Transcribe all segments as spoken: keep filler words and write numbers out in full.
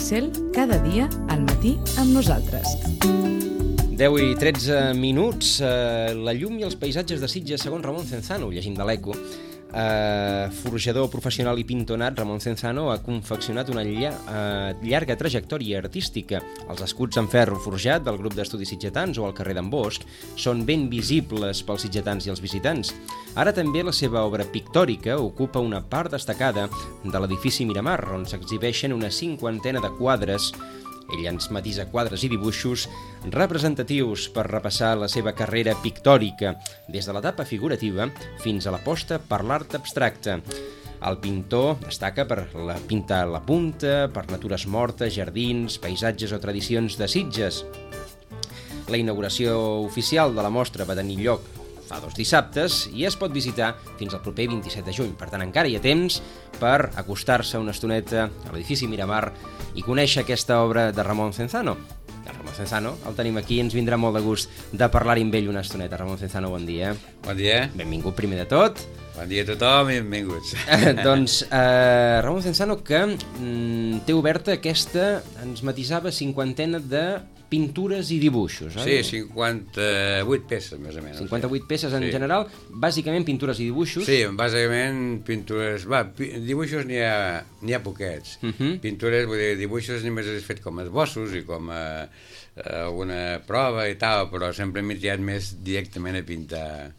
Píxel, cada dia al matí amb nosaltres. deu i tretze minuts, eh, la llum i els paisatges de Sitges segons Ramon Cenzano, llegim de l'Eco. Eh, forjador professional i pintonat, Ramon Cenzano ha confeccionat una lla, eh, llarga trajectòria artística. Els escuts en ferro forjat del grup d'estudis sitgetans o al carrer d'en Bosch són ben visibles pels sitgetans i els visitants. Ara també la seva obra pictòrica ocupa una part destacada de l'edifici Miramar, on s'exhibeixen una cinquantena de quadres. Ell ens matisa quadres i dibuixos representatius per repassar la seva carrera pictòrica, des de l'etapa figurativa fins a l'aposta per l'art abstracte. El pintor destaca per la pintar la punta, per natures mortes, jardins, paisatges o tradicions de Sitges. La inauguració oficial de la mostra va tenir lloc fa dos dissabtes i es pot visitar fins al proper vint-i-set de juny. Per tant, encara hi ha temps per acostar-se una estoneta a l'edifici Miramar i conèixer aquesta obra de Ramon Cenzano. El Ramon Cenzano el tenim aquí i ens vindrà molt de gust de parlar-hi amb ell una estoneta. Ramon Cenzano, bon dia. Bon dia. Benvingut primer de tot. Bon dia a tothom i benvinguts. Eh, doncs, eh, Ramon Cenzano, que mm, té oberta aquesta, ens matisava, cinquantena de pintures i dibuixos, oi? Sí, cinquanta-vuit peces, més o menys. cinquanta-vuit peces en sí. general, bàsicament pintures i dibuixos. Sí, bàsicament pintures... Va, pi dibuixos n'hi ha, n'hi ha poquets. Uh -huh. Pintures, vull dir, dibuixos només he fet com esbossos i com a, a alguna prova i tal, però sempre m'he triat més directament a pintar,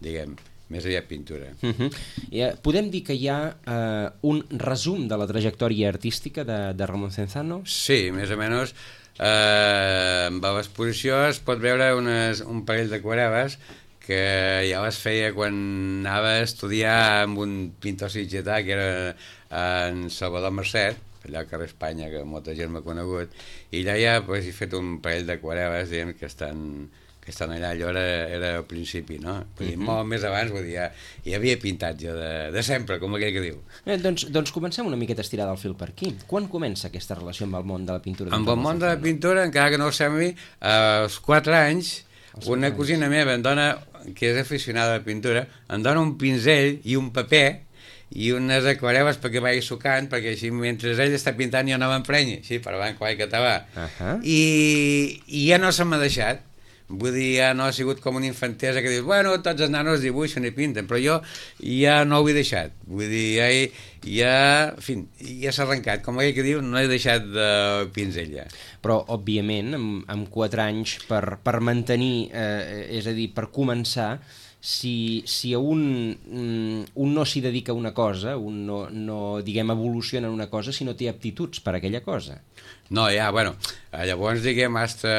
diguem, més aviat pintura. Uh -huh. I, uh, podem dir que hi ha uh, un resum de la trajectòria artística de, de Ramon Cenzano? Sí, més o menys. Eh, amb l'exposició es pot veure unes, un parell d'aquarel·les que ja les feia quan anava a estudiar amb un pintor sitgetà que era en Salvador Mercet, allà al carrer Espanya, que molta gent m'ha conegut, i allà ja pues, he fet un parell d'aquarel·les diguem, que estan que estan allà, allò era, era al principi, no? Vull dir, uh -huh. molt més abans, vull dir, ja, hi havia pintat jo de, de sempre, com aquell que diu. Eh, doncs, doncs comencem una miqueta a estirar del fil per aquí. Quan comença aquesta relació amb el món de la pintura? Amb el món de la pintura, encara que no ho sembli, als quatre anys, els una anys. cosina meva em dona, que és aficionada a la pintura, em dona un pinzell i un paper i unes aquarel·les perquè vagi sucant, perquè així mentre ell està pintant jo no m'emprenyi, així per avant, quasi català. Uh -huh. I, I ja no se m'ha deixat. Vull dir, ja no ha sigut com una infantesa que dius, bueno, tots els nanos dibuixen i pinten, però jo ja no ho he deixat. Vull dir, ja, he, ja, en fi, ja s'ha arrencat. Com aquell que diu, no he deixat de pinzell ja. Però, òbviament, amb, amb quatre anys, per, per mantenir, eh, és a dir, per començar, si, si un, un no s'hi dedica a una cosa, un no, no, diguem, evoluciona en una cosa, si no té aptituds per a aquella cosa. No, ja, bueno, llavors, diguem, hasta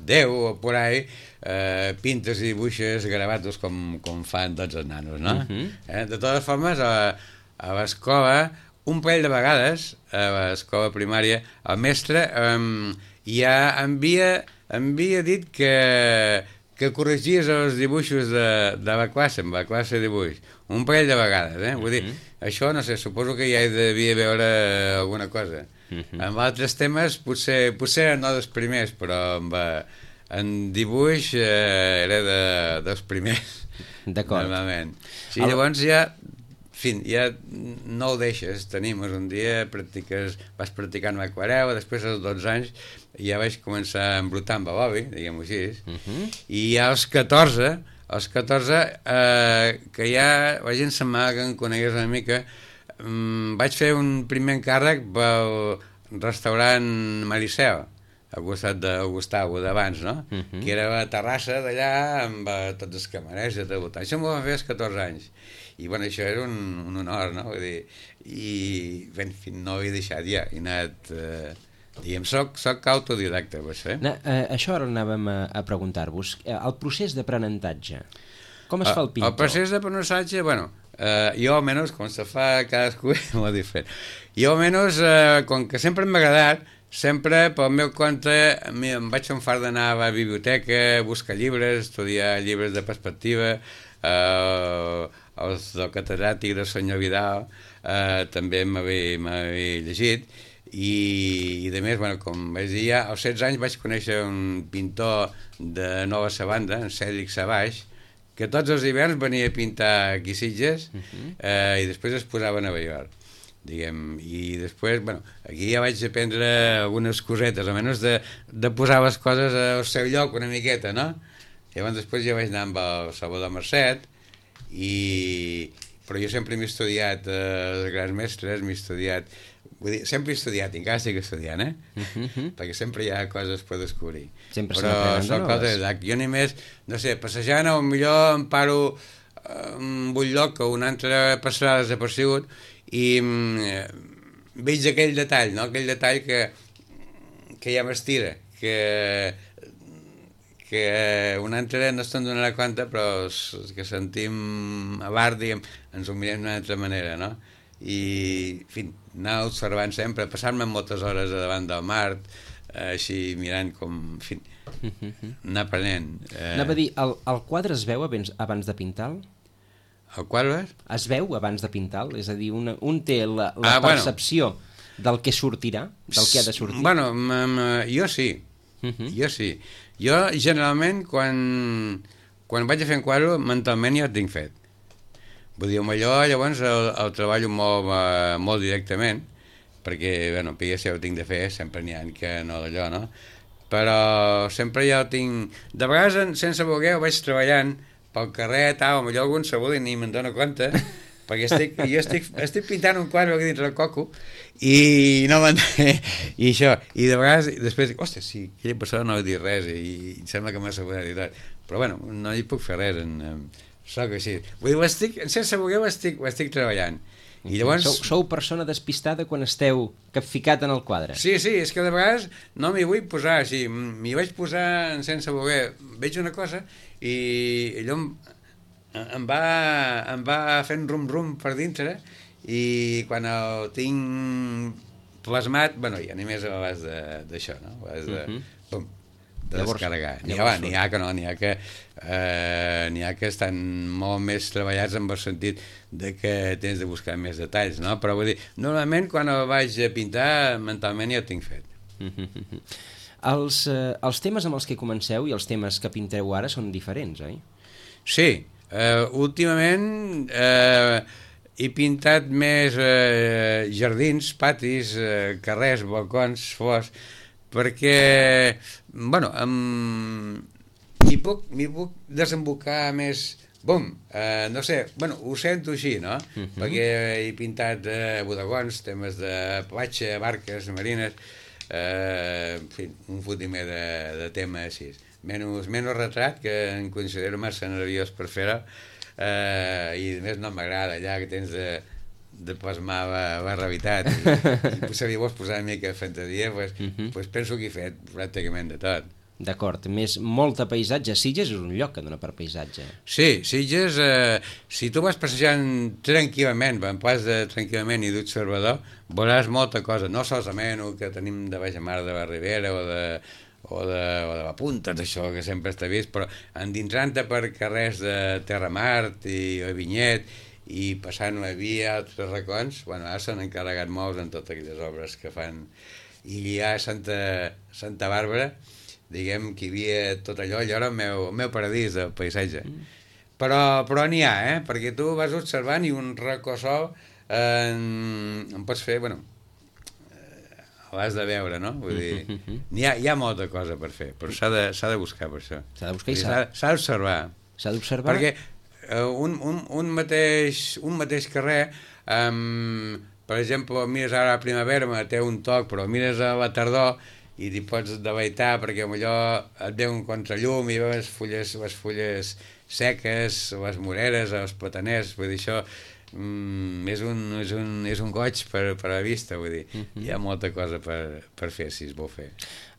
deu o por ahí, eh, pintes i dibuixes gravatos com, com fan tots els nanos, no? Uh -huh. eh? De totes formes, a, a l'escola, un parell de vegades, a l'escola primària, el mestre eh, ja havia, havia dit que, que corregies els dibuixos de, de la classe, amb la classe de dibuix. Un parell de vegades, eh? Vull dir, uh -huh. això, no sé, suposo que ja hi devia veure alguna cosa. Uh -huh. Amb altres temes potser, potser no dels primers, però amb, en dibuix eh, era de, dels primers. D'acord. Normalment. Sí, el... llavors ja, fin, ja no ho deixes, tenim un dia, practiques, vas practicant amb aquarel·la, després als dotze anys ja vaig començar a embrutar amb l'oli, diguem-ho així, uh -huh. i ja als catorze, als catorze, eh, que ja la gent semblava que em conegués una mica, Mm, vaig fer un primer encàrrec pel restaurant Maricel, al costat de Gustavo d'abans, no? Uh -huh. Que era la terrassa d'allà amb uh, tots els camarers i tot. Això m'ho van fer als catorze anys. I bueno, això era un, un honor, no? Vull dir, i ben, fi, no ho he deixat ja. He anat... Eh, diguem, soc, soc autodidacta, per això, eh? No, eh, això ara anàvem a, a preguntar-vos. El procés d'aprenentatge, com es fa el pintor? El procés d'aprenentatge, bueno... Uh, jo almenys, com se fa cadascú molt diferent, jo almenys uh, com que sempre m'ha agradat, sempre pel meu compte em vaig fer un fart d'anar a la biblioteca, buscar llibres, estudiar llibres de perspectiva, uh, els del catedràtic del senyor Vidal uh, també m'havia llegit i, i de més, bueno, com vaig dir ja, als setze anys vaig conèixer un pintor de Nova Zelanda, en Cèdric Savage, que tots els hiverns venia a pintar aquí a Sitges uh -huh. eh, i després es posava a Nova York. diguem, i després, bueno, aquí ja vaig aprendre algunes cosetes, almenys de, de posar les coses al seu lloc una miqueta, no? Llavors després ja vaig anar amb el Salvador Marcet, i... però jo sempre m'he estudiat eh, els grans mestres, m'he estudiat, vull dir, sempre he estudiat, encara estic estudiant, eh? Uh-huh. Perquè sempre hi ha coses per descobrir. Sempre però són coses de jo només, no sé, passejant, o millor em paro en un lloc o un altre passarà desapercebut i mm, veig aquell detall, no? Aquell detall que, que ja m'estira, que, que un altre no se'n donarà compte, però que sentim a bar, diguem, ens ho mirem d'una altra manera, no? I, en fi, anar observant sempre, passar-me moltes hores davant del mar, així mirant com, en fi, anar aprenent. Eh... Anava a dir, el, el quadre es veu abans, abans de pintar-lo? El quadre? Es veu abans de pintar-lo? És a dir, una, un té la, la ah, percepció bueno. del que sortirà, del que ha de sortir? Bueno, m -m jo sí, uh -huh. jo sí. Jo, generalment, quan, quan vaig a fer un quadre, mentalment ja ho tinc fet. Vull dir, allò, llavors, el, el treballo molt, uh, molt directament, perquè, bueno, P S ja ho tinc de fer, sempre n'hi ha que no d'allò, no? Però sempre ja ho tinc... De vegades, sense voler, ho vaig treballant pel carrer, tal, potser algun segur i ni me'n dono compte, perquè estic, jo estic, estic pintant un quadre aquí dins del coco i no me'n... i això, i de vegades, després dic, hòstia, sí, aquella persona no ha dit res i, i em sembla que m'ha assegurat i tot, però bueno, no hi puc fer res, en, en, soc així. Vull dir, ho estic, sense voler ho estic, ho estic treballant. I llavors... Sou, sou persona despistada quan esteu capficat en el quadre. Sí, sí, és que de vegades no m'hi vull posar així, m'hi vaig posar sense voler, veig una cosa i allò em, em, va, em va fent rum-rum per dintre i quan el tinc plasmat, bueno, ja només a l'has d'això, no? A l'has de, uh -huh. pum, de llavors, descarregar. N'hi ha, n'hi ha que no, n'hi ha que eh, n'hi ha que estan molt més treballats en el sentit de que tens de buscar més detalls, no? Però vull dir, normalment quan el vaig a pintar mentalment ja ho tinc fet. Uh -huh. Els, eh, els temes amb els que comenceu i els temes que pinteu ara són diferents, oi? Sí, eh, últimament eh, he pintat més eh, jardins, patis, eh, carrers, balcons, flors, perquè, bueno, m'hi puc, m'hi puc desembocar més, bum, eh, no sé, bueno, ho sento així, no? Uh -huh. Perquè he pintat eh, bodegons, temes de platja, barques, marines, eh, en fi, un fotimer de, de tema així. Menys, menys retrat, que em considero massa nerviós per fer-ho, eh, i a més no m'agrada allà que tens de, de plasmar la, la realitat i, i si vols posar una mica de fantasia pues, uh -huh. pues penso que he fet pràcticament de tot. D'acord, més molta paisatge. Sitges és un lloc que dona per paisatge. Sí, Sitges, eh, si tu vas passejant tranquil·lament, en pas de tranquil·lament i d'observador, veuràs molta cosa, no solament el que tenim de baix a mar de la Ribera o de, o de, o de la Punta, això que sempre està vist, però endinsant-te per carrers de Terramart i Vinyet i passant una via a altres racons, bueno, ara s'han encarregat molts en totes aquelles obres que fan, i hi ha Santa, Santa Bàrbara, diguem que hi havia tot allò, allò era el meu, el meu paradís del paisatge. Mm. Però, però n'hi ha, eh? Perquè tu vas observant i un racó sol eh, en, en pots fer, bueno, eh, l'has de veure, no? Vull dir, mm -hmm. hi, ha, hi ha molta cosa per fer, però s'ha de, s'ha de buscar per això. S'ha de buscar i s'ha d'observar. S'ha d'observar? Perquè eh, un, un, un, mateix, un mateix carrer, eh, per exemple, mires ara a la primavera, té un toc, però mires a la tardor i t'hi pots deleitar perquè potser et ve un contrallum i veus les fulles, les fulles seques, les moreres, els plataners, vull dir, això mm, és, un, és, un, és un goig per, per a la vista, vull dir, uh-huh. Hi ha molta cosa per, per fer, si es vol fer.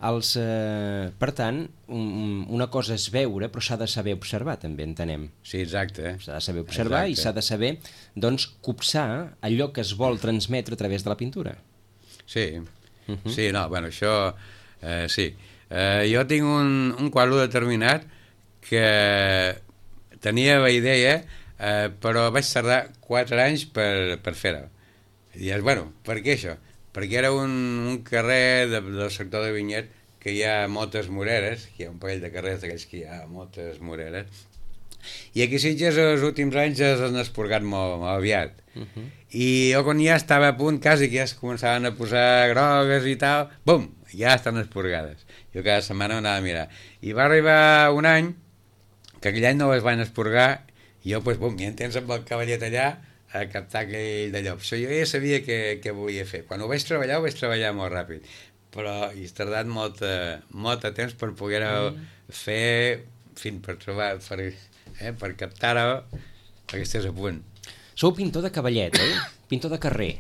Els, eh, per tant, un, una cosa és veure, però s'ha de saber observar, també, entenem. Sí, exacte. S'ha de saber observar exacte. I s'ha de saber, doncs, copsar allò que es vol transmetre a través de la pintura. Sí, Uh-huh. Sí, no, bueno, això, eh, sí. Eh, jo tinc un, un quadre determinat que tenia la idea, eh, però vaig tardar quatre anys per, per fer-ho. I dius, bueno, per què això? Perquè era un, un carrer de, del sector de Vinyet que hi ha moltes moreres, hi ha un parell de carrers d'aquells que hi ha moltes moreres, I aquí Sitges els últims anys es han esporgat molt, molt aviat. Uh -huh. I jo quan ja estava a punt, quasi que ja es començaven a posar grogues i tal, bum, ja estan esporgades. Jo cada setmana anava a mirar. I va arribar un any, que aquell any no es van esporgar, i jo, doncs, bum, ja en tens amb el cavallet allà, a captar aquell d'allò. Això jo ja sabia què, què volia fer. Quan ho vaig treballar, ho vaig treballar molt ràpid. Però hi ha tardat molt, molt de temps per poder-ho mm. fer, en fi, per trobar, per, eh, per captar-ho, perquè estàs a punt. Sou pintor de cavallet, oi? Pintor de carrer.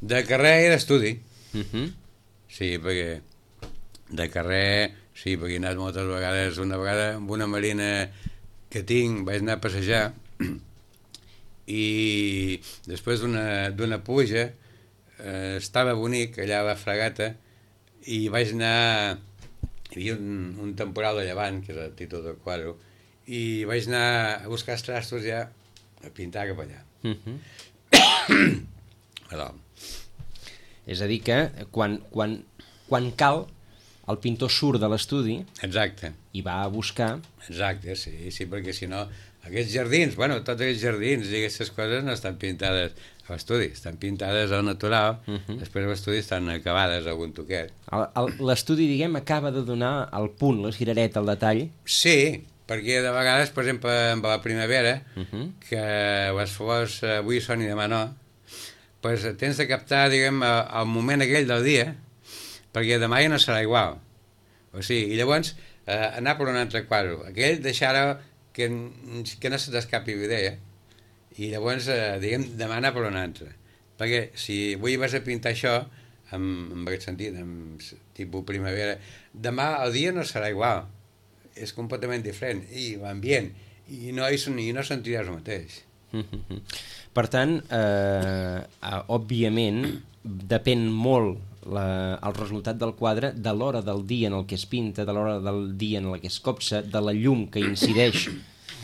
De carrer i d'estudi. Uh -huh. Sí, perquè de carrer, sí, perquè he anat moltes vegades, una vegada amb una marina que tinc, vaig anar a passejar, i després d'una pluja eh, estava bonic allà a la fregata i vaig anar, hi havia un, un temporal de llevant, que és el títol del quadre, i vaig anar a buscar els trastos ja a pintar cap allà. Uh-huh. Perdó. És a dir que quan, quan, quan cal el pintor surt de l'estudi. Exacte. I va a buscar. Exacte, sí, sí, perquè si no aquests jardins, bueno, tots aquests jardins i aquestes coses no estan pintades a l'estudi, estan pintades al natural, uh -huh. Després a l'estudi estan acabades algun toquet. L'estudi, diguem, acaba de donar el punt, la cirereta, el detall. Sí, perquè de vegades, per exemple, amb la primavera, uh -huh. que les flors avui són i demà no, pues tens de captar, diguem, el moment aquell del dia, perquè demà ja no serà igual. O sigui, i llavors eh, anar per un altre quadre. Aquell deixar-ho que, que no se t'escapi l'idea, i llavors, eh, diguem, demà anar per un altre. Perquè si avui vas a pintar això, en, en aquest sentit, en tipus primavera, demà el dia no serà igual. És completament diferent. I l'ambient, i no, i no sentiràs el mateix. Per tant, eh, òbviament, depèn molt la, el resultat del quadre de l'hora del dia en el que es pinta, de l'hora del dia en el que es copsa, de la llum que incideix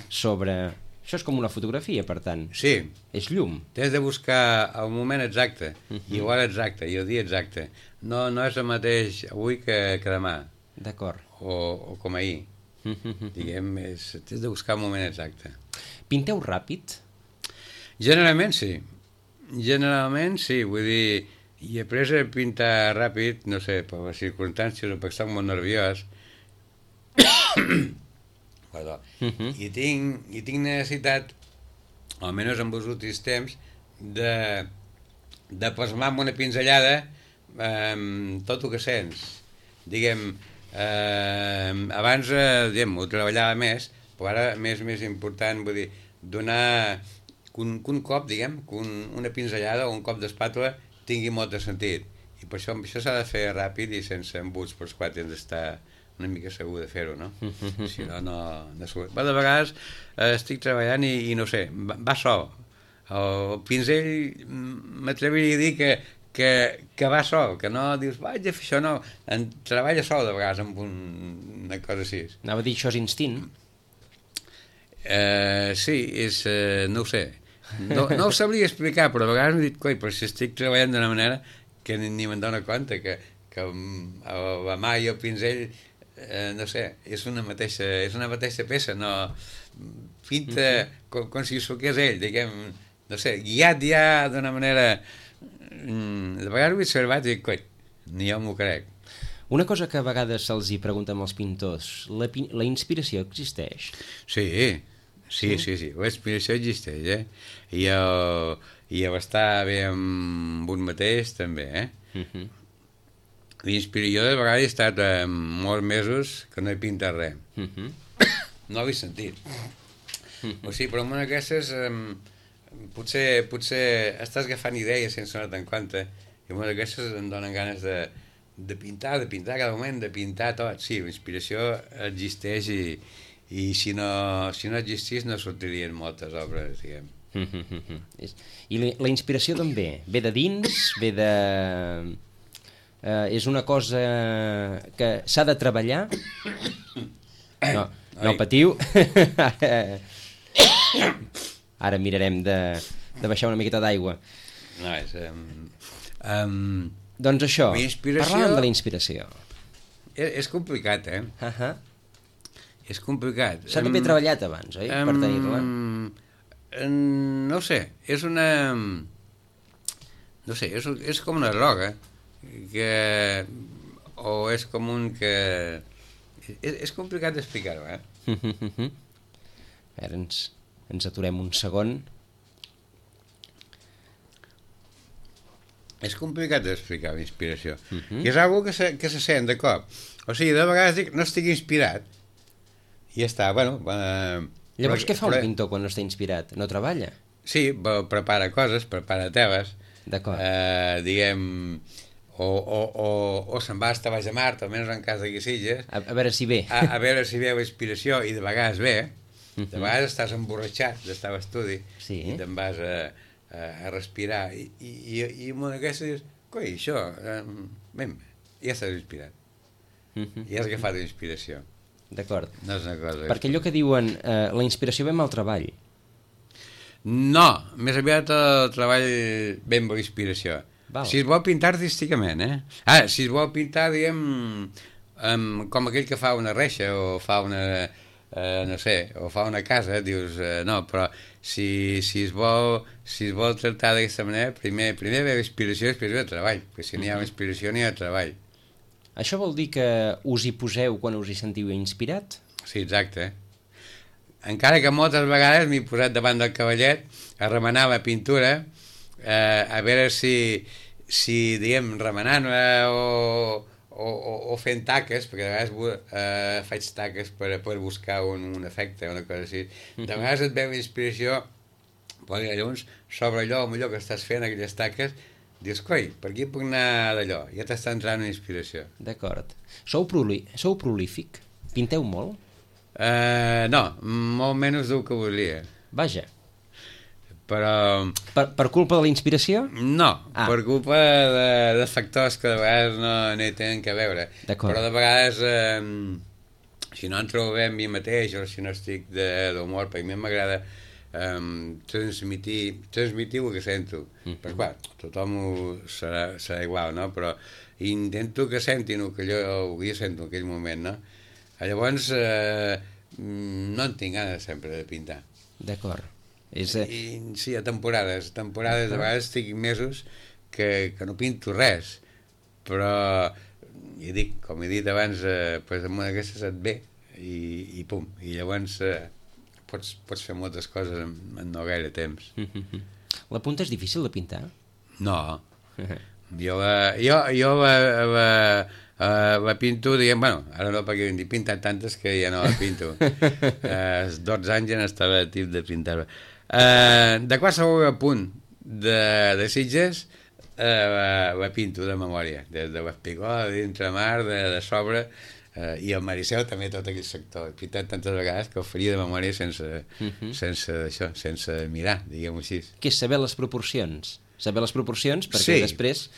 sobre... Això és com una fotografia, per tant. Sí. És llum. Tens de buscar el moment exacte, uh-huh. i l'hora exacta, i el dia exacte. No, no és el mateix avui que, que demà. D'acord. O, o com ahir. Uh-huh. Diguem, és, tens de buscar el moment exacte. Pinteu ràpid? Generalment sí. Generalment sí, vull dir, i he après a pintar ràpid, no sé, per les circumstàncies o perquè estic molt nerviós. Perdó. Uh-huh. I, tinc, I tinc necessitat, almenys en els últims temps, de, de plasmar amb una pinzellada eh, tot el que sents. Diguem, eh, abans eh, diguem, ho treballava més, però ara més més important, vull dir, donar que un, que un cop, diguem, que un, una pinzellada o un cop d'espàtula tingui molt de sentit. I per això, això s'ha de fer ràpid i sense embuts, pels quals tens d'estar una mica segur de fer-ho, no? Si no, no... no Però de vegades eh, estic treballant i, i no sé, va, va sol. El pinzell m'atreviria a dir que, que, que va sol, que no dius, vaig a fer això, no. En treballa sol de vegades amb un, una cosa així. Anava a dir, això és instint? Eh, sí, és... Eh, no ho sé. No, no ho sabria explicar, però a vegades m'he dit, coi, però si estic treballant d'una manera que ni, ni me'n dono compte, que, que la mà i el pinzell, eh, no sé, és una mateixa, és una mateixa peça, no... Pinta mm-hmm. com, com si s'ho que és ell, diguem, no sé, guiat ja d'una manera... De vegades ho he observat i dic, coi, ni jo m'ho crec. Una cosa que a vegades se'ls hi pregunta als pintors, la, la inspiració existeix? Sí, sí, sí, sí, la inspiració existeix, eh? I el, i el estar bé amb un mateix també, eh? Uh-huh. L'inspiració de vegades he estat eh, molts mesos que no he pintat res. Uh-huh. No l'he sentit. Uh-huh. O sigui, però en una d'aquestes eh, potser, potser estàs agafant idees sense donar-te en compte i en una d'aquestes em donen ganes de de pintar, de pintar cada moment, de pintar tot. Sí, la inspiració existeix i, i si, no, si no existís no sortirien moltes obres, diguem. I la, la inspiració d'on ve? Ve de dins? Ve de... Uh, és una cosa que s'ha de treballar? No, no patiu. Ara mirarem de, de baixar una miqueta d'aigua. No, és... Um, um, Doncs això, inspiració... parlàvem de la inspiració. És, és complicat, eh? Uh-huh. És complicat. S'ha d'haver treballat abans, oi? Per tenir-la. No ho sé, és una... No sé, és, és com una droga, que... o és com un que... És, és complicat d'explicar-ho, eh? A veure, ens, ens aturem un segon. És complicat d'explicar la inspiració. Uh-huh. Que és algo que se, que se sent de cop. O sigui, de vegades dic, no estic inspirat. I ja està, bueno... Eh, Llavors, però, què fa però, un pintor quan no està inspirat? No treballa? Sí, prepara coses, prepara teles. D'acord. Eh, diguem... O, o, o, o se'n va a estar baix a Mart, almenys en cas de Guisilles. A, a veure si ve. A, a veure si veu inspiració, i de vegades ve. De Uh-huh. vegades estàs emborratxat d'estar a l'estudi, Sí. i te'n vas a, a, a respirar. I, i, i, i una d'aquestes dius, coi, això, eh, ben, ja estàs inspirat. Uh-huh. Ja has agafat inspiració. D'acord. No és una cosa... Perquè allò que diuen, eh, la inspiració ve amb el treball. No, més aviat el treball ve amb la inspiració. Val. Si es vol pintar artísticament, eh? Ah, si es vol pintar, diguem, um, com aquell que fa una reixa o fa una... Uh, no sé, o fa una casa, dius, uh, no, però si, si, es vol, si es vol tractar d'aquesta manera, primer, primer ve inspiració i després ve treball, perquè si n'hi ha inspiració n'hi ha treball. Això vol dir que us hi poseu quan us hi sentiu inspirat? Sí, exacte. Encara que moltes vegades m'he posat davant del cavallet a remenar la pintura, eh, a veure si, si diguem, remenant-la o, o, o, o fent taques, perquè de vegades eh, faig taques per, per buscar un, un efecte, una cosa així. De vegades et veu inspiració, però llavors, sobre allò, allò que estàs fent, aquelles taques, dius, coi, per aquí puc anar d'allò? Ja t'està entrant una inspiració. D'acord. Sou, proli sou prolífic? Pinteu molt? Uh, no, molt menys del que volia. Vaja. Però... Per, per culpa de la inspiració? No, ah. per culpa de, de factors que de vegades no, no hi tenen que veure. Però de vegades, eh, si no em trobo bé amb mi mateix o si no estic d'humor, perquè a mi m'agrada eh, transmitir, transmitir el que sento. Mm. Però clar, tothom ho serà, serà igual, no? Però intento que sentin el que jo, el que jo sento en aquell moment, no? Llavors, eh, no en tinc ganes sempre de pintar. D'acord. És, eh... I, sí, a temporades. temporades, de vegades estic mesos que, que no pinto res, però, ja dic, com he dit abans, eh, pues, amb una d'aquestes et ve, i, i pum, i llavors eh, pots, pots fer moltes coses en, en no gaire temps. La punta és difícil de pintar? No. Jo la, jo, jo la, la, Uh, la pinto, diguem, bueno, ara no, perquè he pintat tantes que ja no la pinto. uh, dotze anys ja n'estava tip de pintar-la. Uh, de qualsevol punt de, de Sitges uh, la, la pinto de memòria, des de l'Espigó, d'Intramar, de, de sobre, uh, i el Maricel també, tot aquell sector. He pintat tantes vegades que ho faria de memòria sense, uh-huh. sense això, sense mirar, diguem-ho així. Què és saber les proporcions? Saber les proporcions perquè sí. després...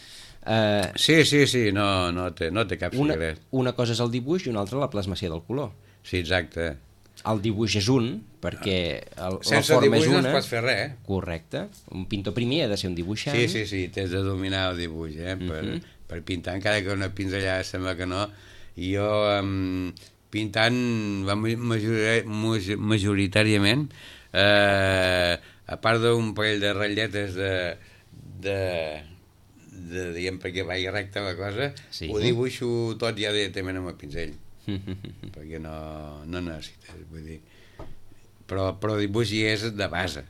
Uh, sí, sí, sí, no, no, té, no té cap una, secret. Una cosa és el dibuix i una altra la plasmació del color. Sí, exacte. El dibuix és un, perquè el, sense la forma dibuix és una. no es pot fer res, eh? Correcte. Un pintor primer ha de ser un dibuixant. Sí, sí, sí, tens de dominar el dibuix, eh? Per, uh-huh. per pintar, encara que una pinzellada sembla que no. I jo, um, pintant, major, majoritàriament, eh, a part d'un parell de ratlletes de... de de, diguem, perquè vagi recta la cosa, sí. Ho dibuixo tot ja directament amb el pinzell, perquè no, no necessites, vull dir. Però, però el dibuix hi és de base,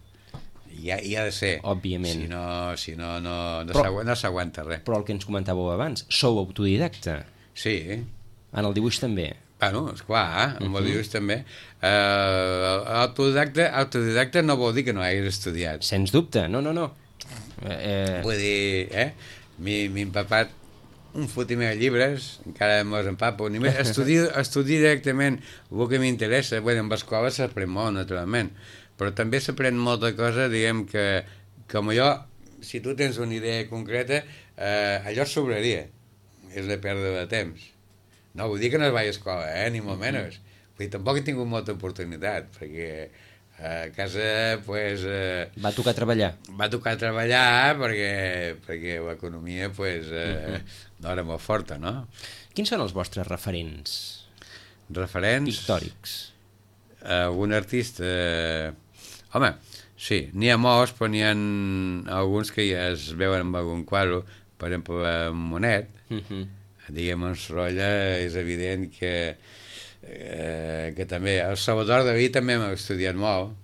hi ha, hi ha de ser. Òbviament. Si no, si no, no, no s'aguanta res. Però el que ens comentàveu abans, sou autodidacta. Sí. En el dibuix també. Bueno, esclar, amb uh-huh. el dibuix també. Uh, autodidacta, autodidacta no vol dir que no hagis estudiat. Sens dubte, no, no, no. Eh... Vull dir, eh? M'he empapat un fotimer de llibres, encara me'ls empapo, ni més, estudio, estudio directament el que m'interessa. Bueno, amb escola s'aprèn molt, naturalment, però també s'aprèn molta cosa, diguem que, com allò, si tu tens una idea concreta, eh, allò sobraria, és de perdre de temps. No vull dir que no es vagi a escola, eh? Ni molt menys. Vull dir, tampoc he tingut molta oportunitat, perquè a casa, pues... Eh, va tocar treballar. Va tocar treballar perquè, perquè l'economia, pues, eh, uh-huh. no era molt forta, no? Quins són els vostres referents? Referents? Pictòrics. algun artista... Home, sí, n'hi ha molts, però n'hi ha alguns que ja es veuen amb algun quadre, per exemple, Monet, uh-huh. diguem, en Sorolla, és evident que, eh, que també... El Salvador Dalí també m'ha estudiat molt.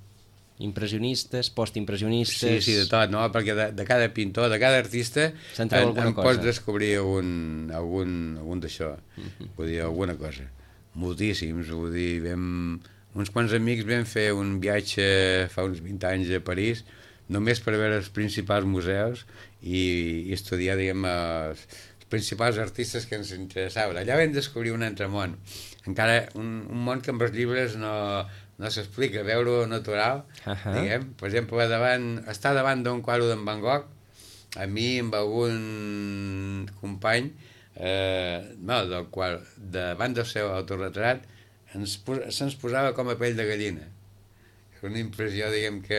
Impressionistes, postimpressionistes... Sí, sí, de tot, no? Perquè de, de cada pintor, de cada artista, en, en pots descobrir algun, algun, algun d'això, uh-huh. vull dir, alguna cosa. Moltíssims, vull dir, vam... Uns quants amics vam fer un viatge fa uns vint anys a París, només per veure els principals museus i, i estudiar, diguem, els, els principals artistes que ens interessaven. Allà vam descobrir un altre món, encara un, un món que amb els llibres no, no s'explica, veure-ho natural, uh-huh. diguem. Per exemple, davant, estar davant d'un quadre d'en Van Gogh, a mi, amb algun company, eh, no, del qual, davant del seu autorretrat, ens, se'ns posava com a pell de gallina. Una impressió, diguem, que,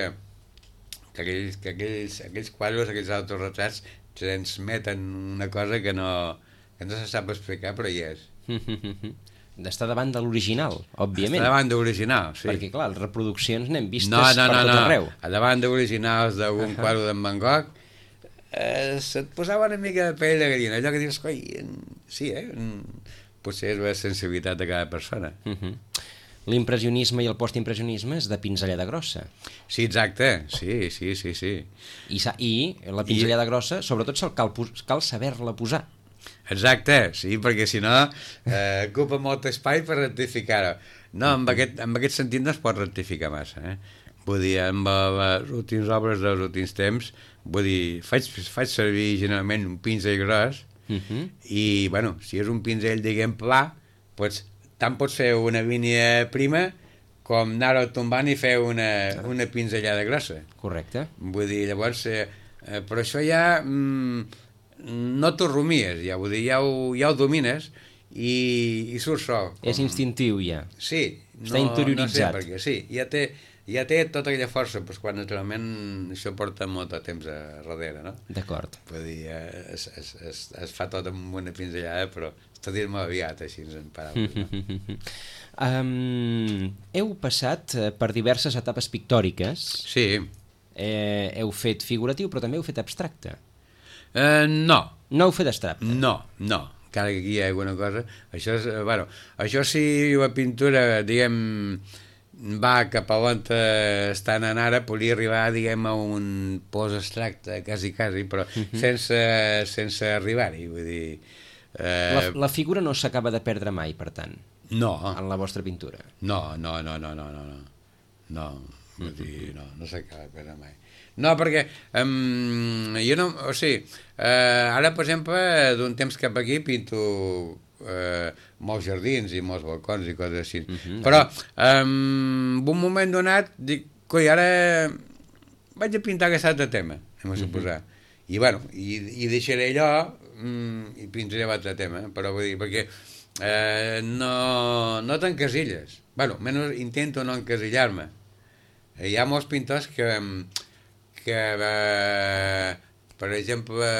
que, aquells, que aquells, aquells quadres, aquells autorretrats, transmeten una cosa que no, que no se sap explicar, però hi és. D'estar davant de l'original, òbviament. Estar davant de l'original, sí. Perquè, clar, les reproduccions n'hem vistes no, no, per no, tot no. arreu. A davant d'originals d'algun uh-huh. quadre d'en Van Gogh, eh, se't posava una mica de pell de gallina. Allò que dius, coi, sí, eh? Potser és la sensibilitat de cada persona. Uh-huh. L'impressionisme i el postimpressionisme és de pinzellada grossa. Sí, exacte, sí, sí, sí, sí. I, i la pinzellada I... grossa, sobretot cal, cal saber-la posar. Exacte, sí, perquè si no eh, ocupa molt espai per rectificar-ho. No, amb aquest, amb aquest sentit no es pot rectificar massa, eh? Vull dir, amb les últimes obres dels últims temps, vull dir, faig, faig servir generalment un pinzell gros, Uh-huh. i, bueno, si és un pinzell, diguem, pla, doncs tant pots fer una línia prima com anar-ho tombant i fer una, una pinzellada grossa. Correcte. Vull dir, llavors, eh, eh, però això ja mm, no t'ho rumies, ja, vull dir, ja ho, ja ho domines i, i surt sol. Com... És instintiu, ja. Sí. Està no, interioritzat. No sé, perquè sí, ja té... ja té tota aquella força, doncs quan naturalment això porta molt de temps a darrere, no? D'acord. Vull dir, es, es, es, es fa tot amb una pinzellada, però està dit molt aviat, així en paraules, no? um, heu passat per diverses etapes pictòriques. Sí. Eh, heu fet figuratiu, però també heu fet abstracte. Uh, no. No heu fet abstracte? No, no. Encara que aquí hi ha alguna cosa. Això és, bueno, això sí, la pintura, diguem... va cap a on estan anant ara, podria arribar, diguem, a un post abstracte, quasi, quasi, però uh-huh. sense, sense arribar-hi, vull dir... Eh... La, la figura no s'acaba de perdre mai, per tant? No. En la vostra pintura? No, no, no, no, no, no, no, no, vull dir, no, no s'acaba de perdre mai. No, perquè um, jo no, o sigui, uh, ara, per exemple, d'un temps cap aquí pinto... Eh, molts jardins i molts balcons i coses així, uh-huh. però um, en un moment donat dic, coi, ara vaig a pintar aquest altre tema, anem a suposar, uh-huh. i bueno, i, i deixaré allò um, i pintaré l'altre tema, però vull dir, perquè eh, no, no t'encasilles, bueno, almenys intento no encasillar-me. Hi ha molts pintors que que eh, per exemple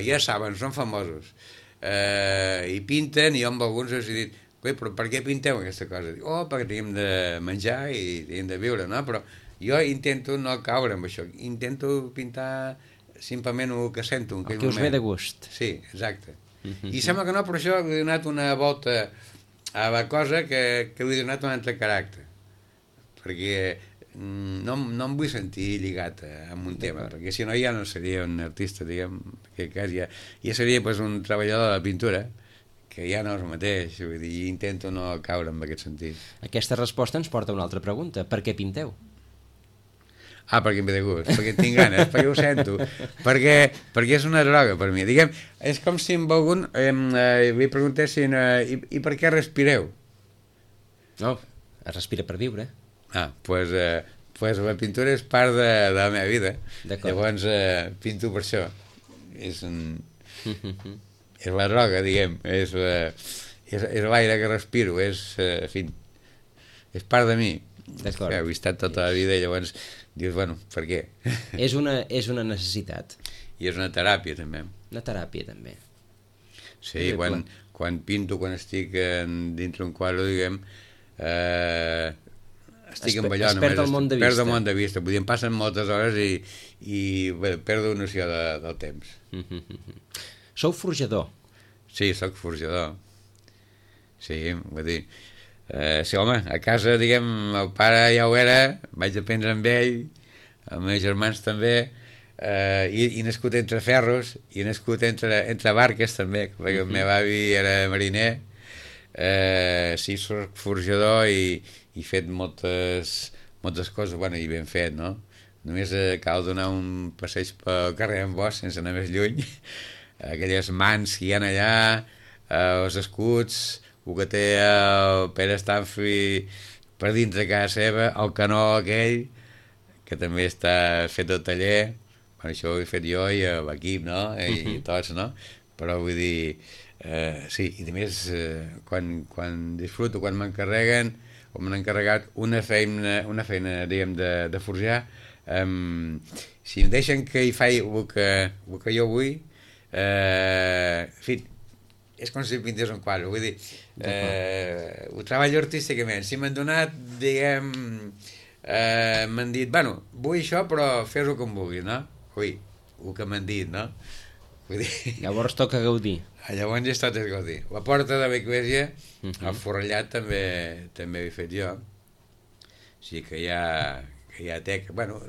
ja saben, són famosos, Uh, i pinten, i jo amb alguns els he dit, però per què pinteu aquesta cosa? Dic, oh, perquè tenim de menjar i tenim de viure, no? Però jo intento no caure amb això, intento pintar simplement el que sento en el que us ve de gust. Sí, exacte. Uh-huh. I sembla que no, però això he donat una volta a la cosa que, que he donat un altre caràcter, perquè no, no em vull sentir lligat amb un tema, perquè si no ja no seria un artista, diguem, que cas ja, ja seria pues, un treballador de la pintura, que ja no és el mateix, vull dir, intento no caure en aquest sentit. Aquesta resposta ens porta a una altra pregunta. Per què pinteu? Ah, perquè em ve de gust, perquè tinc ganes, perquè ho sento, perquè, perquè és una droga per mi. Diguem, és com si amb algun eh, eh, li preguntessin eh, i, i per què respireu? No, es respira per viure. Ah, doncs pues, eh, pues la pintura és part de, de la meva vida. Llavors eh, pinto per això. És, un, és la droga, diguem, és, eh, és, és l'aire que respiro, és, eh, en fi, és part de mi. D'acord. He estat tota la vida i llavors dius, bueno, per què? És una, és una necessitat. I és una teràpia, també. Una teràpia, també. Sí, quan, quan pinto, quan estic en, dintre un quadre, diguem, eh, estic es, amb allò, es perd només el món de vista. Perdo el món de vista, vull dir, em passen moltes hores i, i bé, perdo noció de, del temps. Mm-hmm. Sou forjador? Sí, sóc forjador. Sí, vull dir, eh, sí, home, a casa, diguem, el pare ja ho era, vaig aprendre amb ell, els meus germans també, eh, i, i nascut entre ferros, i nascut entre, entre barques també, perquè el meu avi era mariner. Eh, sí, soc forjador i, i he fet moltes, moltes coses, bueno, i ben fet, no? Només eh, cal donar un passeig pel carrer en Bosch, sense anar més lluny, aquelles mans que hi ha allà, eh, els escuts, el que té el Pere Stanfi per dintre de casa seva, el canó aquell, que també està fet al taller, bueno, això ho he fet jo i l'equip, no? I, uh-huh. i tots, no? Però vull dir, eh, sí, i a més, eh, quan, quan disfruto, quan m'encarreguen, o m'han encarregat una feina, una feina diguem, de, de forjar, um, si em deixen que hi faci el que, el que jo vull, eh, en fi, és com si pintés un quadre, vull dir, eh, ho treballo artísticament. Si m'han donat, diguem, eh, m'han dit, bueno, vull això, però fes-ho com vulguis, no? Ui, el que m'han dit, no? Vull dir... Llavors toca gaudir. Llavors ja està tot gaudir. La porta de l'església, uh -huh. el forrellat també també he fet jo. O sigui que ja, que ja té... Bueno,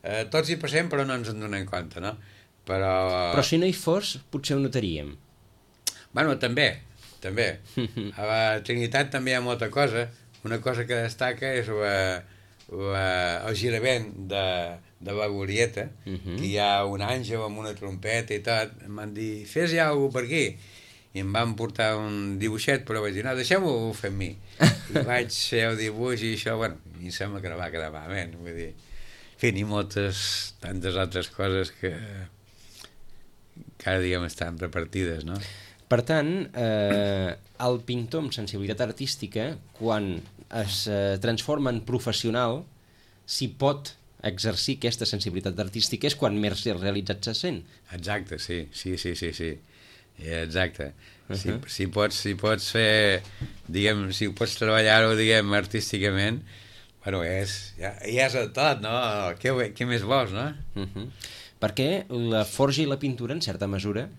eh, tots hi passem, però no ens en donem compte, no? Però... Però si no hi fos, potser ho notaríem. Bueno, també, també. A la Trinitat també hi ha molta cosa. Una cosa que destaca és la, la, el girament de, de la glorieta, uh -huh. que hi ha un àngel amb una trompeta i tot. Em van dir, fes ja alguna per aquí. I em van portar un dibuixet, però vaig dir, no, deixem-ho fer amb mi. I vaig fer el dibuix i això, bueno, i em sembla que no va quedar malament. Vull dir, en fi, i moltes, tantes altres coses que cada dia estan repartides, no? Per tant, eh, el pintor amb sensibilitat artística, quan es eh, transforma en professional, si pot exercir aquesta sensibilitat artística és quan més realitzat se sent. Exacte, sí, sí, sí, sí, sí. Exacte. Uh -huh. si, si, pots, si pots fer, diguem, si pots treballar-ho, diguem, artísticament, bueno, és, ja, ja és el tot, no? Què, què més vols, no? Uh -huh. Perquè la forja i la pintura, en certa mesura,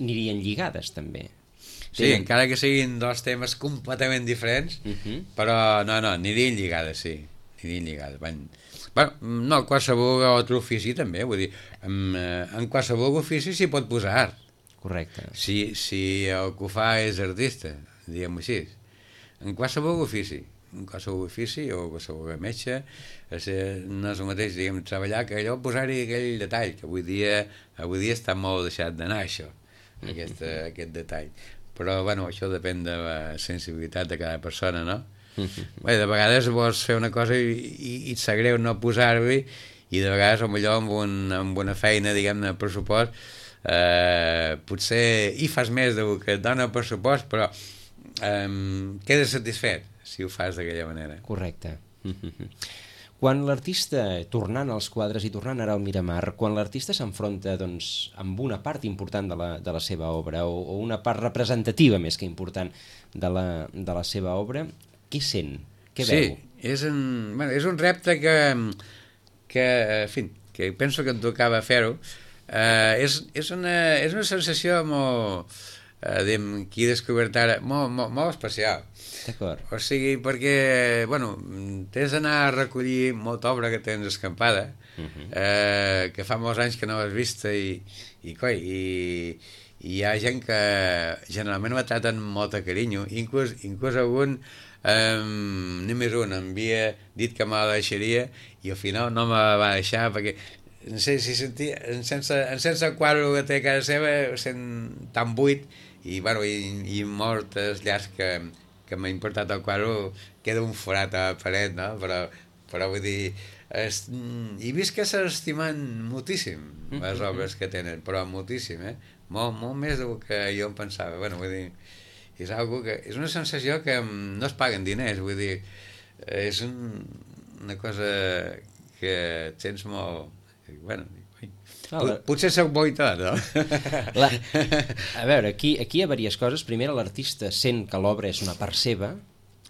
anirien lligades, també. Sí, Tenen... encara que siguin dos temes completament diferents, uh -huh. però no, no, anirien lligades, sí. Anirien lligades. Van... Bueno, no, qualsevol altre ofici també, vull dir, en, en qualsevol ofici s'hi pot posar art. Correcte. Si, si el que ho fa és artista, diguem-ho així. En qualsevol ofici, en qualsevol ofici o qualsevol metge, no és el mateix, diguem, treballar que allò, posar-hi aquell detall, que avui dia, avui dia està molt deixat d'anar, això, aquest, aquest detall. Però, bueno, això depèn de la sensibilitat de cada persona, no? Bé, de vegades vols fer una cosa i, i, i et sap greu no posar-hi, i de vegades, potser amb, un, amb una feina, diguem-ne, de pressupost, eh, potser hi fas més del que et dona el pressupost, però eh, quedes satisfet si ho fas d'aquella manera. Correcte. Quan l'artista, tornant als quadres i tornant ara al Miramar, quan l'artista s'enfronta, doncs, amb una part important de la, de la seva obra, o, o una part representativa més que important de la, de la seva obra, què sent? Què sí, veu? És un, bueno, és un repte que, que, en fi, que penso que em tocava fer-ho. Uh, és, és, una, és una sensació molt, uh, diguem, que he descobert ara, molt, molt, molt especial. D'acord. O sigui, perquè, bueno, tens d'anar a recollir molta obra que tens escampada, uh -huh. eh, que fa molts anys que no l'has vista, i, i, coi, i, i hi ha gent que generalment me traten amb molt de carinyo, inclús, inclús algun, eh, només un, m'havia dit que me la deixaria, i al final no me la va deixar, perquè no sé si sentia, en sense, en sense el quadre que té a casa seva, sent tan buit, i, bueno, i, i moltes llars que que m'ha importat el quadre, queda un forat a la paret, no? Però, però vull dir, es, he vist que s'estimen moltíssim les obres que tenen, però moltíssim, eh? Molt, molt més del que jo em pensava. Bueno, vull dir, és, algo que, és una sensació que no es paguen diners, vull dir, és un, una cosa que et sents molt... Bueno, potser soc bo i tot, no? La... A veure, aquí, aquí hi ha diverses coses. Primera, l'artista sent que l'obra és una part seva,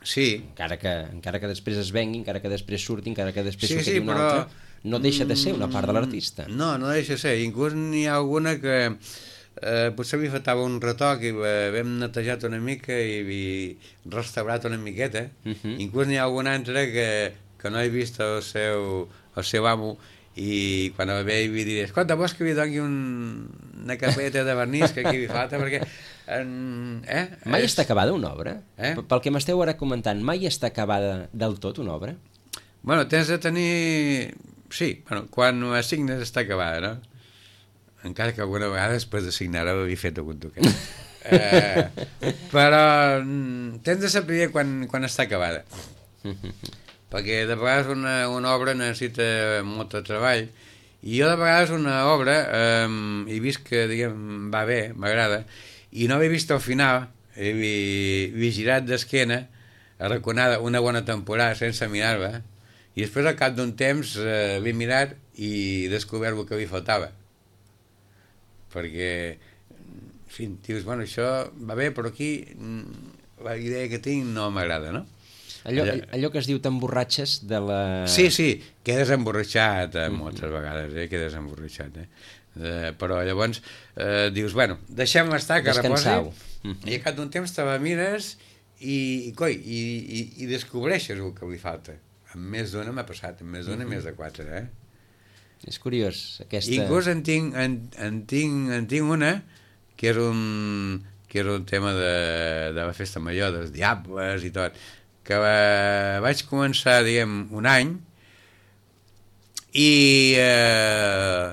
Sí. Encara que, encara que després es vengui, encara que després surti, encara que després sí, surti sí, una però... altra, no deixa de ser una part de l'artista. No, no deixa de ser. Inclús n'hi ha alguna que eh, potser li faltava un retoc i l'hem netejat una mica i, i restaurat una miqueta. Uh-huh. Inclús n'hi ha alguna altra que, que no he vist el seu, el seu amo i quan el veig li diré, escolta, vols que li doni un, una capeta de vernís que aquí li falta perquè en, eh? Mai és... està acabada una obra? Eh? Pel que m'esteu ara comentant, mai està acabada del tot una obra? Bueno, tens de tenir... Sí, bueno, quan assignes està acabada, no? Encara que alguna vegada després de signar-ho havia fet algun toquet. eh, però tens de saber quan, quan està acabada. Perquè de vegades una, una obra necessita molt de treball i jo de vegades una obra eh, he vist que, diguem, va bé, m'agrada, i no l'he vist al final, he, he girat d'esquena, arraconada una bona temporada sense mirar-la, i després al cap d'un temps eh, l'he mirat i he descobert el que li faltava. Perquè, en fi, dius, bueno, això va bé, però aquí la idea que tinc no m'agrada, no? Allò, allò que es diu t'emborratxes de la... Sí, sí, quedes emborratxat eh, moltes vegades, eh, quedes emborratxat, eh? Eh, però llavors eh, dius, bueno, deixem-la estar, que reposi, i al cap d'un temps te la mires i, i, coi, i, i, i descobreixes el que li falta. Amb més d'una m'ha passat, amb més d'una, més de quatre, eh? És curiós, aquesta... Inclús en tinc, en, en tinc, en tinc una que és un, que és un tema de, de la festa major, dels diables i tot, que va, vaig començar, diguem, un any i, eh,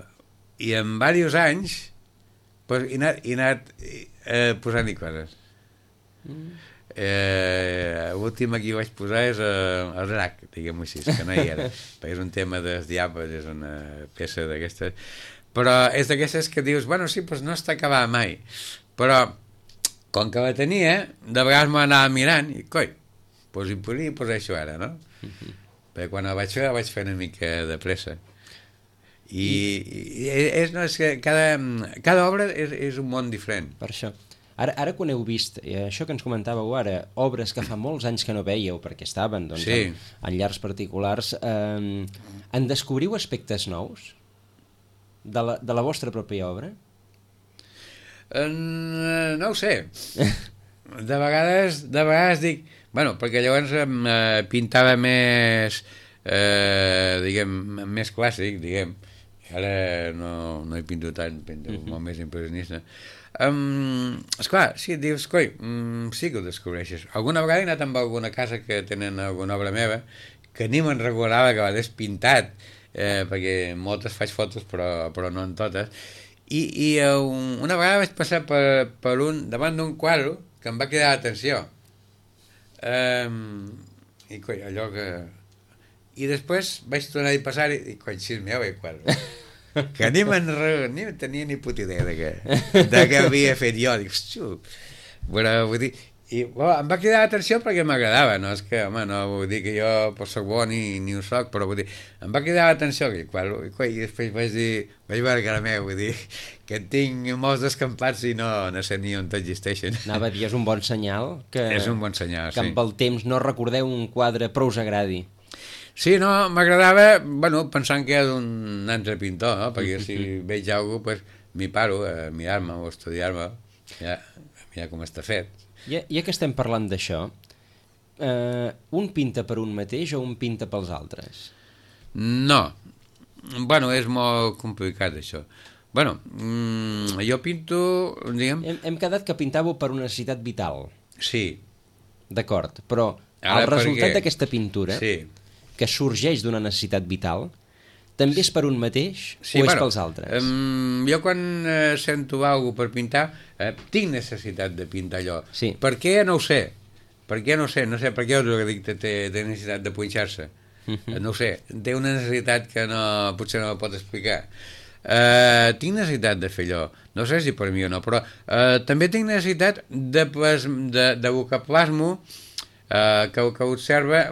i en diversos anys pues, he anat, he anat eh, posant-hi coses. Mm. Eh, l'última que hi vaig posar és eh, el drac, diguem-ho així, que no hi era, perquè és un tema dels diables, és una peça d'aquestes, però és d'aquestes que dius, bueno, sí, doncs no està acabada mai, però com que la tenia, de vegades m'anava mirant i, coi, doncs hi podria posar això ara, no? Uh-huh. Perquè quan la vaig fer, la vaig fer una mica de pressa. I, i és, no, és que cada, cada obra és, és un món diferent. Per això. Ara, ara quan heu vist, eh, això que ens comentàveu ara, obres que fa molts anys que no veieu, perquè estaven doncs, sí. en, en llars particulars, eh, en descobriu aspectes nous de la, de la vostra pròpia obra? En, no ho sé. De vegades, de vegades dic... Bueno, perquè llavors eh, pintava més, eh, diguem, més clàssic, diguem. Ara no, no hi pinto tant, pinto uh-huh. molt més impressionista. Um, esclar, sí, dius, coi, um, sí que ho descobreixes. Alguna vegada he anat amb alguna casa que tenen alguna obra meva que ni me'n recordava que l'hagués pintat, eh, perquè moltes faig fotos però, però no en totes, i, i um, una vegada vaig passar per, per un, davant d'un quadre que em va cridar l'atenció. Um, i coi, allò que... I després vaig tornar a passar i, i coi, si és meu, el quadre. Que ni me'n ni tenia ni puta idea de què, de què havia fet jo. Dic, hòstia, bueno, vull dir, i bueno, em va cridar l'atenció perquè m'agradava, no és que, home, no vull dir que jo pues, soc bo ni, ni ho soc, però vull dir, em va cridar l'atenció i, i, i després vaig dir, vaig veure que era meu, vull dir, que tinc molts descampats i no, no sé ni on existeixen. Anava a dir, és un bon senyal que, és un bon senyal, que sí. amb el temps no recordeu un quadre prou us agradi. Sí, no, m'agradava, bueno, pensant que és un altre pintor, no? Perquè si veig alguna cosa, pues, m'hi paro a mirar-me o a estudiar-me, ja, a mirar com està fet. Ja, ja que estem parlant d'això, eh, un pinta per un mateix o un pinta pels altres? No, bueno, és molt complicat això. Bueno, mmm, jo pinto, diguem... Hem, hem quedat que pintàveu per una necessitat vital. Sí. D'acord, però Ara, el resultat perquè... d'aquesta pintura... Sí. que sorgeix d'una necessitat vital, també és per un mateix sí, o és bueno, pels altres? Um, jo quan eh, sento alguna per pintar, eh, tinc necessitat de pintar allò. Sí. Per què? No ho sé. Per què? No ho sé. No sé per què us dic que té, té necessitat de punxar-se. Uh-huh. No ho sé. Té una necessitat que no, potser no la pot explicar. Uh, tinc necessitat de fer allò. No sé si per mi o no, però uh, també tinc necessitat de, de, de que plasmo Uh, que, que observa,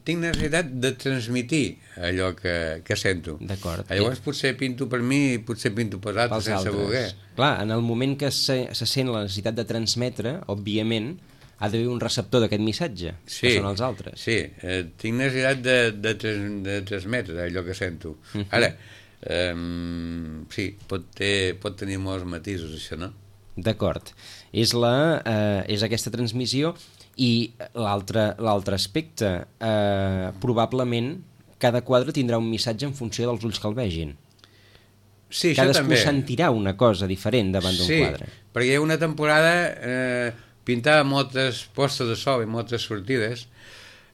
tinc necessitat de transmitir allò que, que sento. D'acord. Llavors potser pinto per mi i potser pinto per altres pels sense altres. voler. Clar, en el moment que se, se sent la necessitat de transmetre, òbviament, ha d'haver un receptor d'aquest missatge, sí, que són els altres. Sí, eh, tinc necessitat de, de, tres, de transmetre allò que sento. Uh -huh. Ara, eh, sí, pot, ter, pot tenir molts matisos, això, no? D'acord. És, la, eh, és aquesta transmissió i l'altre l'altre aspecte, eh, probablement cada quadre tindrà un missatge en funció dels ulls que el vegin. Sí, Cadascú això també. sentirà una cosa diferent davant d'un sí, quadre. Sí, perquè hi ha una temporada eh, pintava moltes postes de sol i moltes sortides.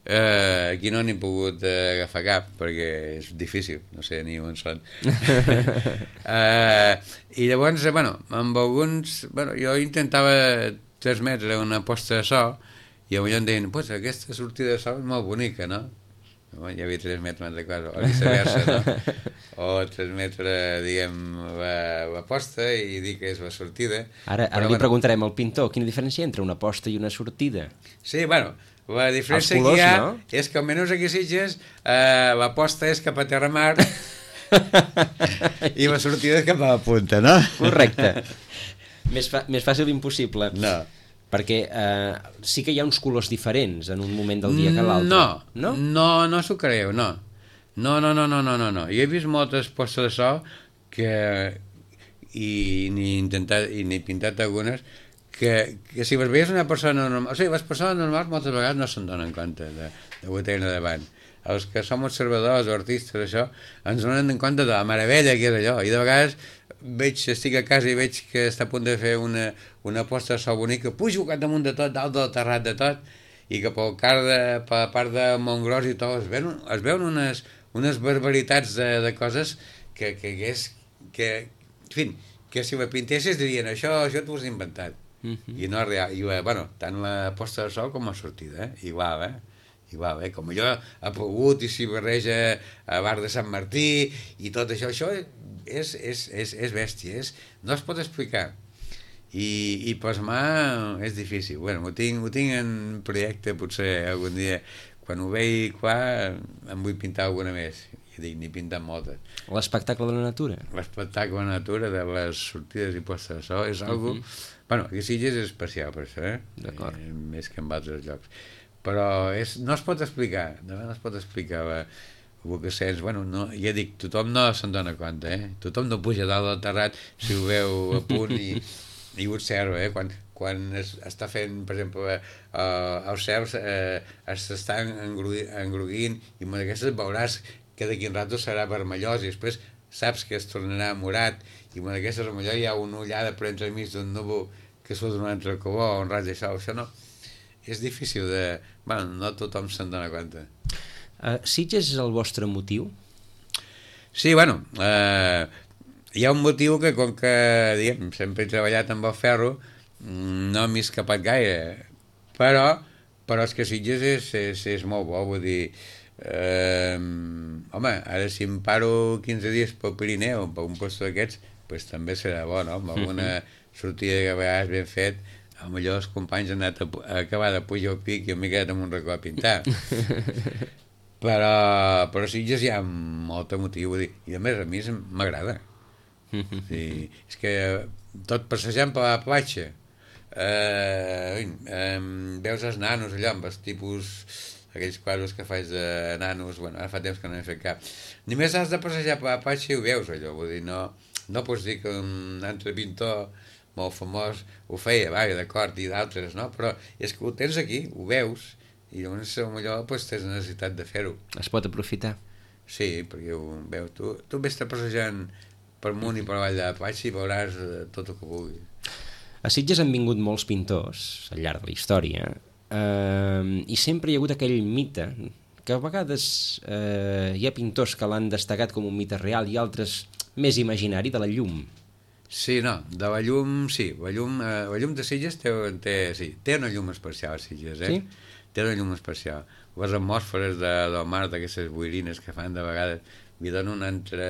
Eh, aquí no n'he pogut eh, agafar cap perquè és difícil, no sé ni on són. eh, I llavors, eh, bueno, amb alguns... Bueno, jo intentava transmetre una posta de sol i potser em deien, pues aquesta sortida de sol és molt bonica, no? Bueno, ja havia transmetre una altra cosa, o viceversa, no? O transmetre, diguem, la, la posta i dir que és la sortida. Ara, ara però, li bueno, preguntarem al pintor quina diferència entre una posta i una sortida. Sí, bueno, la diferència Els colors, que hi ha no? és que almenys aquí a Sitges eh, la posta és cap a terra mar i la sortida és cap a la punta, no? Correcte. Més, fa, més fàcil impossible. No. Perquè eh, sí que hi ha uns colors diferents en un moment del dia que l'altre. No, no, no, no s'ho creieu, no. No, no, no, no, no, no, no. Jo he vist moltes postes de sol que i n'he intentat i n'he pintat algunes que, que si les veies una persona normal, o sigui, les persones normals moltes vegades no se'n donen compte de, de ho tenen davant. Els que som observadors o artistes, això, ens donen en compte de la meravella que és allò, i de vegades veig, estic a casa i veig que està a punt de fer una, una posta de sol bonica, pujo cap damunt de tot, dalt del terrat de tot, i que pel, car de, per la part de Montgros i tot es veuen, es veuen unes, unes barbaritats de, de coses que, que, que és que, en fi, que si la pintessis dirien això, això t'ho has inventat. Uh -huh. I no és real. I, bueno, tant la posta de sol com la sortida, eh? Igual, eh? Igual, eh? Com allò ha pogut i s'hi barreja a Bar de Sant Martí i tot això, això és, és, és, és bèstia, és, no es pot explicar. I, i plasmar és difícil. Bueno, ho tinc, ho tinc en projecte, potser algun dia, quan ho veig clar, em vull pintar alguna més. I dic, n'he pintat moltes. L'espectacle de la natura. L'espectacle de la natura, de les sortides i postes de sol, és algo... Uh -huh. Bueno, aquí a Sitges és especial per això, eh? D'acord. Eh, més que en altres llocs. Però és, no es pot explicar, no es pot explicar la, el que sents. Bueno, no, ja dic, tothom no se'n dona compte, eh? Tothom no puja dalt del terrat si ho veu a punt i, i ho observa, eh? Quan, quan es, està fent, per exemple, eh, els cels eh, s'estan engruguint i amb aquestes veuràs que d'aquí un rato serà vermellós i després saps que es tornarà morat i amb aquesta vermellor hi ha una ullada per entremig d'un núvol que surt d'un altre color o un raig de sol. Això no... És difícil de... Bueno, no tothom se'n dona compte. Uh, Sitges és el vostre motiu? Sí, bueno, eh, hi ha un motiu que, com que, diguem, sempre he treballat amb el ferro, no m'he escapat gaire, però, però és que Sitges és, és, és molt bo, vull dir... Eh, home, ara si em paro quinze dies pel Pirineu, per un posto d'aquests, pues també serà bo, no? Amb alguna sortida que a vegades ben fet, potser els companys han anat a, a acabar de pujar al pic i m'he quedat amb un racó a pintar. però, però Sitges hi ha molt motiu, vull dir, i a més a mi m'agrada. Sí, és que tot passejant per la platja, eh, eh, veus els nanos allò, amb els tipus... aquells quadres que faig de nanos, bueno, ara fa temps que no n'he fet cap. Només has de passejar per la platja i ho veus, allò, vull dir, no, no pots dir que un altre pintor molt famós ho feia, vaja, d'acord, i d'altres, no? Però és que ho tens aquí, ho veus, i llavors potser pues, tens necessitat de fer-ho. Es pot aprofitar. Sí, perquè ho veus. Tu, tu vés passejant per amunt i per avall de la platja i veuràs tot el que vulguis. A Sitges han vingut molts pintors al llarg de la història, Uh, i sempre hi ha hagut aquell mite que a vegades uh, hi ha pintors que l'han destacat com un mite real i altres més imaginari, de la llum. Sí, no, de la llum, sí, la llum, eh, la llum de Sitges té, té, sí, té una llum especial a Sitges, eh? Sí? Té una llum especial. Les atmosferes de, del mar, d'aquestes boirines que fan de vegades, li donen un altre,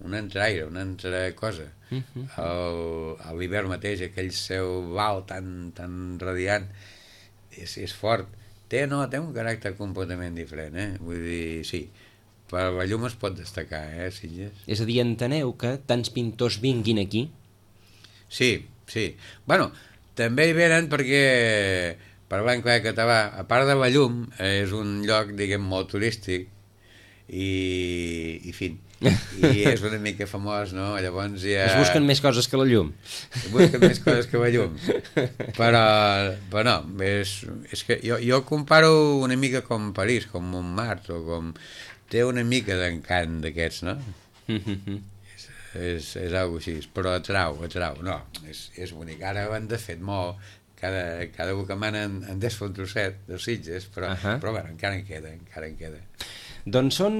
un altre aire, una altra cosa. Uh -huh. A l'hivern mateix, aquell cel blau tan, tan radiant, És, és fort. Té, no, té un caràcter completament diferent, eh? Vull dir, sí, per la llum es pot destacar, eh, Sitges? És a dir, enteneu que tants pintors vinguin aquí? Sí, sí. Bueno, també hi venen perquè parlant clar català, a part de la llum, és un lloc, diguem, molt turístic i, i fin, i és una mica famós, no? Llavors ja... Es busquen més coses que la llum. Es busquen més coses que la llum. Però, però no, és, és que jo, jo comparo una mica com París, com Montmartre, o com... Té una mica d'encant d'aquests, no? és, és, és algo així, però atrau, atrau. No, és, és bonic. Ara ho han de fet molt, cada, cada un que mana en, en desfa un trosset de Sitges, però, uh -huh. però bueno, encara en queda, encara en queda. Doncs són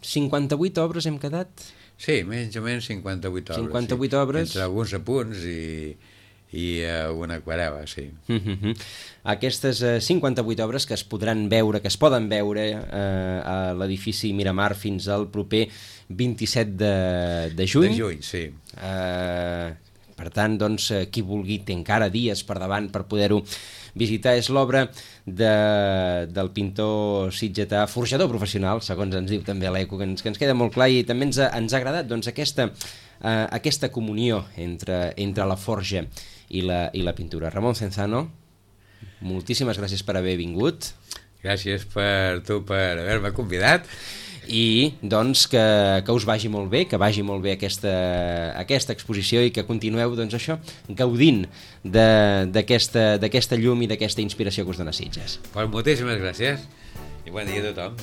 cinquanta-vuit obres, hem quedat? Sí, més o menys cinquanta-vuit obres. cinquanta-vuit sí. obres. Entre alguns apunts i, i uh, una aquarel·la, sí. Uh -huh. Aquestes uh, cinquanta-vuit obres que es podran veure, que es poden veure uh, a l'edifici Miramar fins al proper vint-i-set de, de juny. De juny, sí. Uh, per tant, doncs, qui vulgui té encara dies per davant per poder-ho visitar. És l'obra de, del pintor sitgetà, forjador professional, segons ens diu també l'Eco, que ens, que ens queda molt clar, i també ens ha, ens ha agradat doncs, aquesta, uh, aquesta comunió entre, entre la forja i la, i la pintura. Ramon Cenzano, moltíssimes gràcies per haver vingut. Gràcies per tu per haver-me convidat. I doncs que, que us vagi molt bé, que vagi molt bé aquesta, aquesta exposició i que continueu doncs això, gaudint d'aquesta llum i d'aquesta inspiració que us dona Sitges. Pues moltíssimes gràcies i bon dia a tothom.